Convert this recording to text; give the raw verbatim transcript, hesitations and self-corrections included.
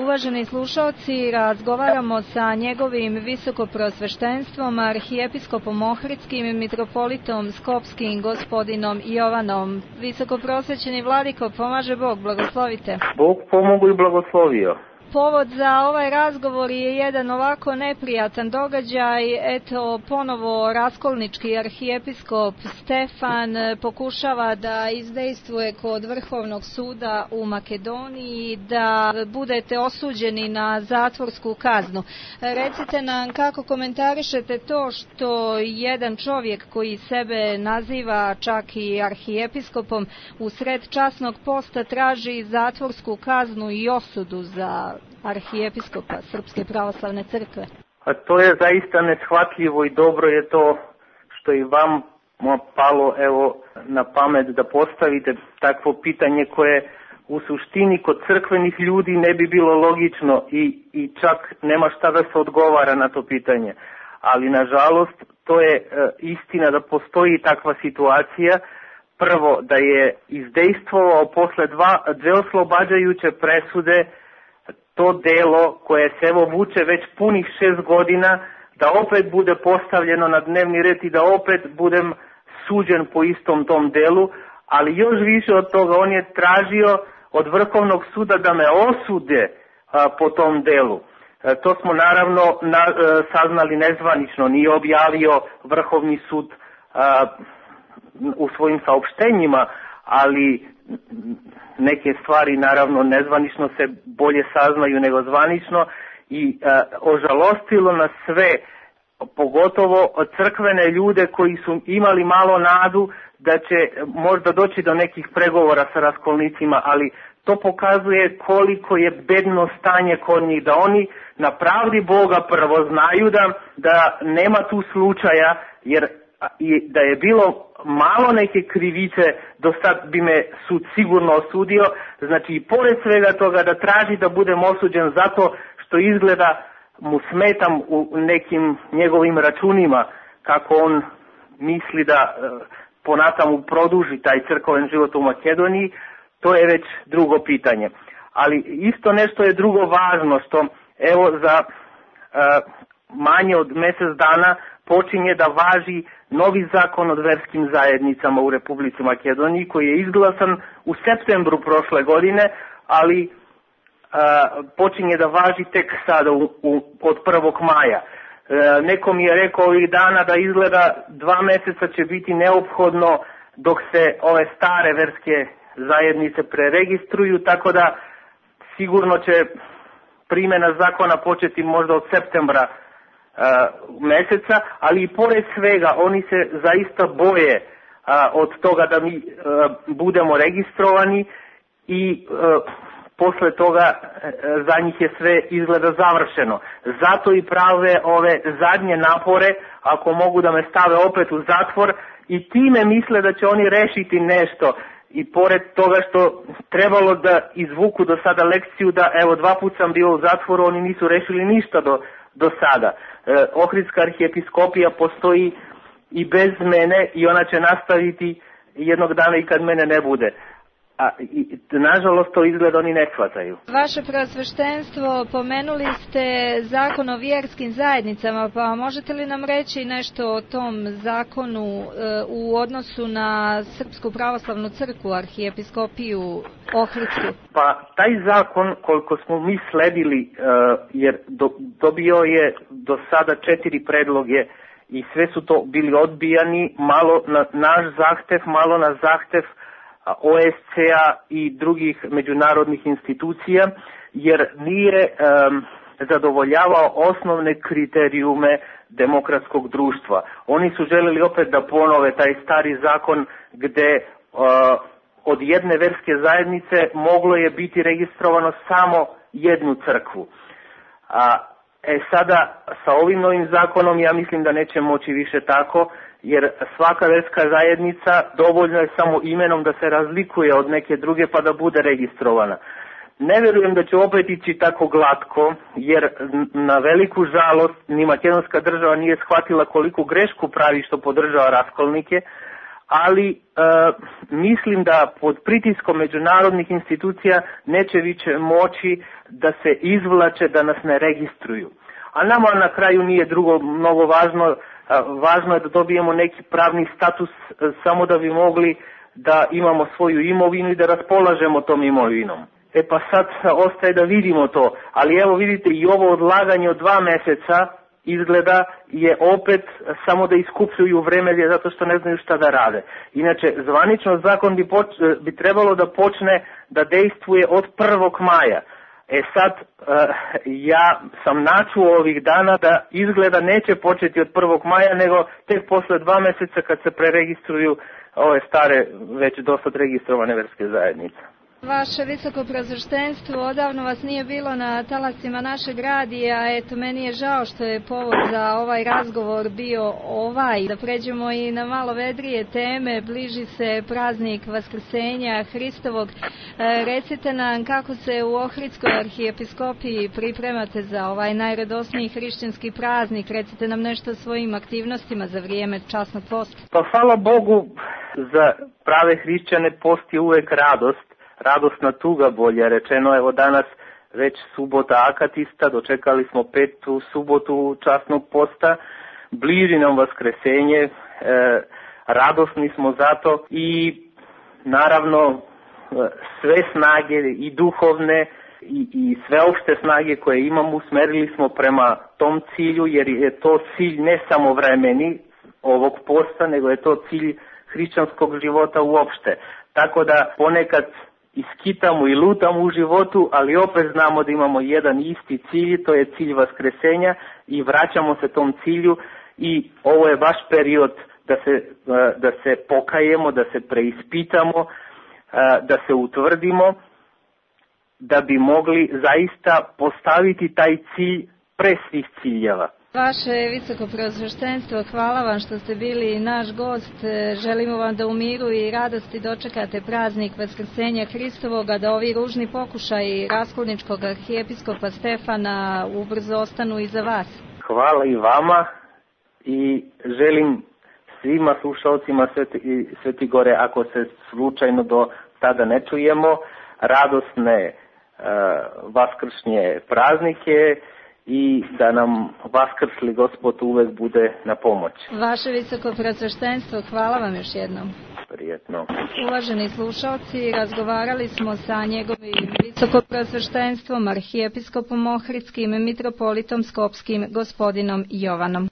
uvaženi slušalci, razgovaramo sa njegovim visokoprosveštenstvom, arhijepiskopom Ohridskim i mitropolitom Skopskim, gospodinom Jovanom. Visokoprosvećeni vladiko, pomaže Bog, blagoslovite. Bog pomogu i blagoslovio. Povod za ovaj razgovor je jedan ovako neprijatan događaj. Eto, ponovo raskolnički arhijepiskop Stefan pokušava da izdejstvuje kod Vrhovnog suda u Makedoniji da budete osuđeni na zatvorsku kaznu. Recite nam kako komentarišete to što jedan čovjek koji sebe naziva čak i arhijepiskopom u sred časnog posta traži zatvorsku kaznu i osudu za arhijepiskopa Srpske pravoslavne crkve. A to je zaista neshvatljivo i dobro je to što i vam palo evo na pamet da postavite takvo pitanje koje u suštini kod crkvenih ljudi ne bi bilo logično i, i čak nema šta da se odgovara na to pitanje. Ali nažalost to je e, istina da postoji takva situacija. Prvo da je izdejstvovao posle dva, dve oslobađajuće presude to delo koje se evo vuče već punih šest godina, da opet bude postavljeno na dnevni red i da opet budem suđen po istom tom delu, ali još više od toga on je tražio od Vrhovnog suda da me osude a, po tom delu. E, to smo naravno na, e, saznali nezvanično, nije objavio Vrhovni sud a, u svojim saopštenjima, ali neke stvari naravno nezvanično se bolje saznaju nego zvanično i e, ožalostilo nas sve, pogotovo od crkvene ljude koji su imali malo nadu da će možda doći do nekih pregovora sa raskolnicima, ali to pokazuje koliko je bedno stanje kod njih, da oni na pravdi Boga prvo znaju da, da nema tu slučaja, jer i da je bilo malo neke krivice, do sad bi me sud sigurno osudio, znači i pored svega toga da traži da budem osuđen zato što izgleda mu smetam u nekim njegovim računima, kako on misli da ponata mu produži taj crkven život u Makedoniji, to je već drugo pitanje. Ali isto nešto je drugo važno, što evo za uh, manje od mjesec dana počinje da važi novi zakon o verskim zajednicama u Republici Makedoniji, koji je izglasan u septembru prošle godine, ali a, počinje da važi tek sada u, u, od prvog maja. E, neko mi je rekao ovih dana da izgleda dva mjeseca će biti neophodno dok se ove stare verske zajednice preregistruju, tako da sigurno će primjena zakona početi možda od septembra Uh, meseca, ali i pored svega oni se zaista boje uh, od toga da mi uh, budemo registrovani i uh, posle toga uh, za njih je sve izgleda završeno. Zato i prave ove zadnje napore, ako mogu da me stave opet u zatvor, i time misle da će oni rešiti nešto. I pored toga što trebalo da izvuku do sada lekciju da evo dva put sam bio u zatvoru, oni nisu rešili ništa do do sada. E, Ohridska arhijepiskopija postoji i bez mene i ona će nastaviti jednog dana i kad mene ne bude. A i, nažalost to izgleda oni ne shvataju. Vaše preosveštenstvo, pomenuli ste zakon o vjerskim zajednicama, pa možete li nam reći nešto o tom zakonu e, u odnosu na Srpsku pravoslavnu crkvu, arhijepiskopiju Ohridsku? Pa taj zakon, koliko smo mi sledili, e, jer do, dobio je do sada četiri predloge i sve su to bili odbijani, malo na naš zahtev, malo na zahtev O S C-a i drugih međunarodnih institucija, jer nije um, zadovoljavao osnovne kriterijume demokratskog društva. Oni su željeli opet da ponove taj stari zakon gde uh, od jedne verske zajednice moglo je biti registrovano samo jednu crkvu. A e sada sa ovim novim zakonom ja mislim da neće moći više tako, jer svaka verska zajednica dovoljno je samo imenom da se razlikuje od neke druge pa da bude registrovana. Ne vjerujem da će opet ići tako glatko, jer na veliku žalost ni makedonska država nije shvatila koliku grešku pravi što podržava raskolnike, ali e, mislim da pod pritiskom međunarodnih institucija neće više moći da se izvlače, da nas ne registruju. A nama na kraju nije drugo mnogo važno, važno je da dobijemo neki pravni status samo da bi mogli da imamo svoju imovinu i da raspolažemo tom imovinom. E pa sad ostaje da vidimo to, ali evo vidite i ovo odlaganje od dva meseca izgleda je opet samo da iskupljuju vreme zato što ne znaju šta da rade. Inače, zvanično zakon bi, poč, bi trebalo da počne da dejstvuje od prvog maja. E sad, ja sam načuo ovih dana da izgleda neće početi od prvog maja, nego tek posle dva meseca kad se preregistruju ove stare, već dosad registrovane verske zajednice. Vaše visoko preosveštenstvo, odavno vas nije bilo na talasima našeg radija, eto meni je žao što je povod za ovaj razgovor bio ovaj. Da pređemo i na malo vedrije teme, bliži se praznik Vaskrsenja Hristovog. E, recite nam kako se u Ohridskoj arhijepiskopiji pripremate za ovaj najradosniji hrišćanski praznik, recite nam nešto o svojim aktivnostima za vrijeme časnog posta. Pa hvala Bogu, za prave hrišćane post je uvek radost. Radosna tuga, bolje rečeno, evo danas već subota akatista, dočekali smo petu subotu časnog posta, bliži nam Vaskresenje, e, radosni smo zato i naravno sve snage i duhovne i, i sveopšte snage koje imamo usmerili smo prema tom cilju, jer je to cilj ne samo vremeni ovog posta, nego je to cilj hrišćanskog života uopšte. Tako da ponekad iskitamo i lutamo u životu, ali opet znamo da imamo jedan isti cilj, to je cilj Vaskresenja i vraćamo se tom cilju i ovo je baš period da se, da se pokajemo, da se preispitamo, da se utvrdimo, da bi mogli zaista postaviti taj cilj pre svih ciljeva. Vaše visoko preosveštenstvo, hvala vam što ste bili naš gost. Želimo vam da u miru i radosti dočekate praznik Vaskrsenja Hristovoga, da ovi ružni pokušaji raskolničkog arhijepiskopa Stefana ubrzo ostanu iza vas. Hvala i vama i želim svima slušalcima Sveti, Sveti Gore, ako se slučajno do tada ne čujemo, radosne uh, vaskršnje praznike i da nam vaskrsli Gospod uvek bude na pomoć. Vaše visoko preosveštenstvo, hvala vam još jednom. Prijetno. Uvaženi slušalci, razgovarali smo sa njegovim visoko preosveštenstvom, arhijepiskopom Ohridskim, mitropolitom Skopskim, gospodinom Jovanom.